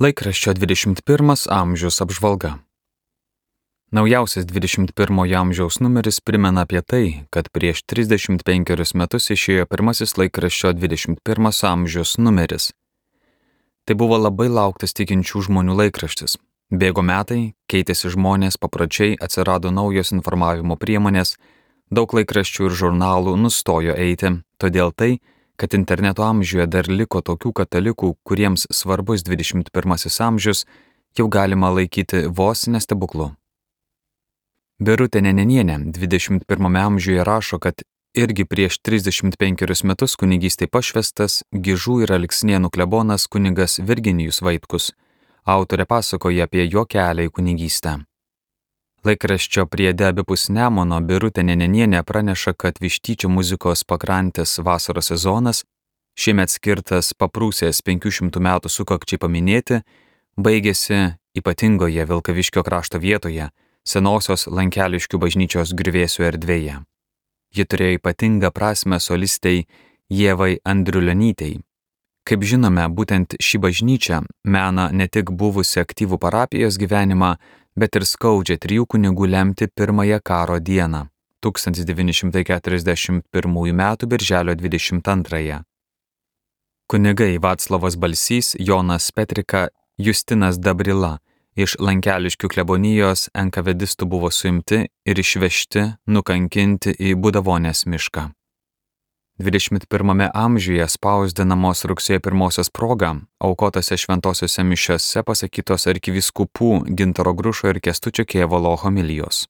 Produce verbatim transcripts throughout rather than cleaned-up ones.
Laikraščio dvidešimt pirmas amžius apžvalga. Naujausias dvidešimt pirmojo amžiaus numeris primena apie tai, kad prieš trisdešimt penkerius metus išėjo pirmasis laikraščio dvidešimt pirmas amžius numeris. Tai buvo labai lauktas tikinčių žmonių laikraštis. Bėgo metai, keitėsi žmonės, papročiai, atsirado naujos informavimo priemonės, daug laikraščių ir žurnalų nustojo eiti, todėl tai, kad interneto amžiuje dar liko tokių katalikų, kuriems svarbus dvidešimt pirmasis amžius, jau galima laikyti vos ne stebuklu. Birutė Nenenienė dvidešimt pirmame amžiuje rašo, kad irgi prieš trisdešimt penkerius metus kunigystei pašvestas Gižų ir Alksnėnų klebonas kunigas Virginijus Vaitkus. Autorė pasakoja apie jo kelią į kunigystę. Laikraščio priede abipus Nemuno Birutė Nenenienė praneša, kad Vištyčio muzikos pakrantės vasaros sezonas, šiemet skirtas Paprūsės penkių šimtų metų sukakčiai paminėti, baigėsi ypatingoje Vilkaviškio krašto vietoje, senosios Lankeliškių bažnyčios griuvėsių erdvėje. Ji turėjo ypatingą prasmę solistei Ievai Andriulionytei. Kaip žinome, būtent ši bažnyčia mena ne tik buvusi aktyvų parapijos gyvenimą, bet ir skaudžią trijų kunigų lemtį pirmąją karo dieną, tūkstantis devyni šimtai keturiasdešimt pirmųjų metų birželio dvidešimt antrąją. Kunigai Vaclovas Balsys, Jonas Petrika, Justinas Dabrila iš Lankeliškių klebonijos enkavedistų buvo suimti ir išvežti, nukankinti į Budavonės mišką. dvidešimt pirmame amžiuje spausdinamos rugsėjo pirmosios proga aukotose šventosiose mišiose pasakytos arkivyskupų Gintaro Grušo ir Kęstučio Kėvalo homilijos.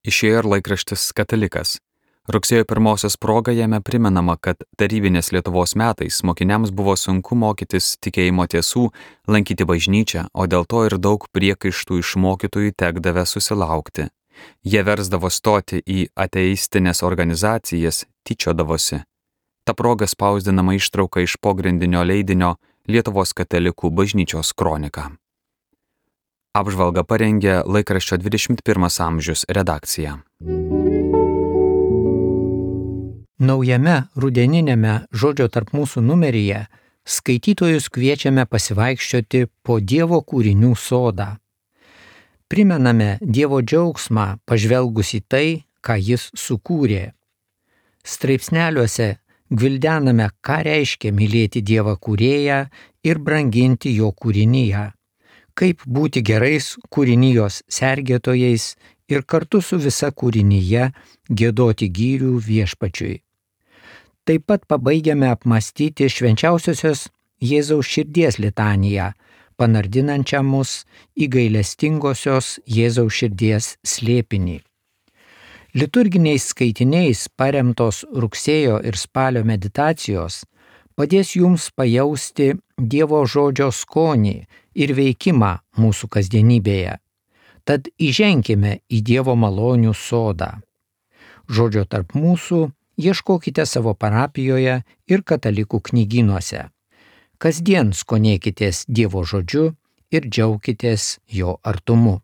Išėjo ir laikraštis Katalikas. Rugsėjo pirmosios proga jame primenama, kad tarybinės Lietuvos metais mokiniams buvo sunku mokytis tikėjimo tiesų, lankyti bažnyčią, o dėl to ir daug priekaištų iš mokytojų tekdavę susilaukti. Jie versdavo stoti į ateistinės organizacijas, tyčiodavosi. Ta proga spausdinama ištrauka iš pogrindinio leidinio Lietuvos katalikų bažnyčios kronika. Apžvalgą parengė laikraščio dvidešimt pirmas amžius redakcija. Naujame rudeninėme Žodžio tarp mūsų numeryje skaitytojus kviečiame pasivaikščioti po Dievo kūrinių sodą. Primename Dievo džiaugsmą pažvelgus į tai, ką Jis sukūrė. Straipsneliuose gvildename, ką reiškia mylėti Dievą kūrėją ir branginti jo kūrinyje, kaip būti gerais kūrinijos sergėtojais ir kartu su visa kūrinyje giedoti gyrių Viešpačiui. Taip pat pabaigiame apmąstyti švenčiausiosios Jėzaus širdies litaniją, panardinančią mus į gailestingosios Jėzaus širdies slėpinį. Liturginiais skaitiniais paremtos rugsėjo ir spalio meditacijos padės jums pajausti Dievo žodžio skonį ir veikimą mūsų kasdienybėje. Tad įženkime į Dievo malonių sodą. Žodžio tarp mūsų ieškokite savo parapijoje ir katalikų knygynuose. Kasdien skonėkitės Dievo žodžiu ir džiaukitės jo artumu.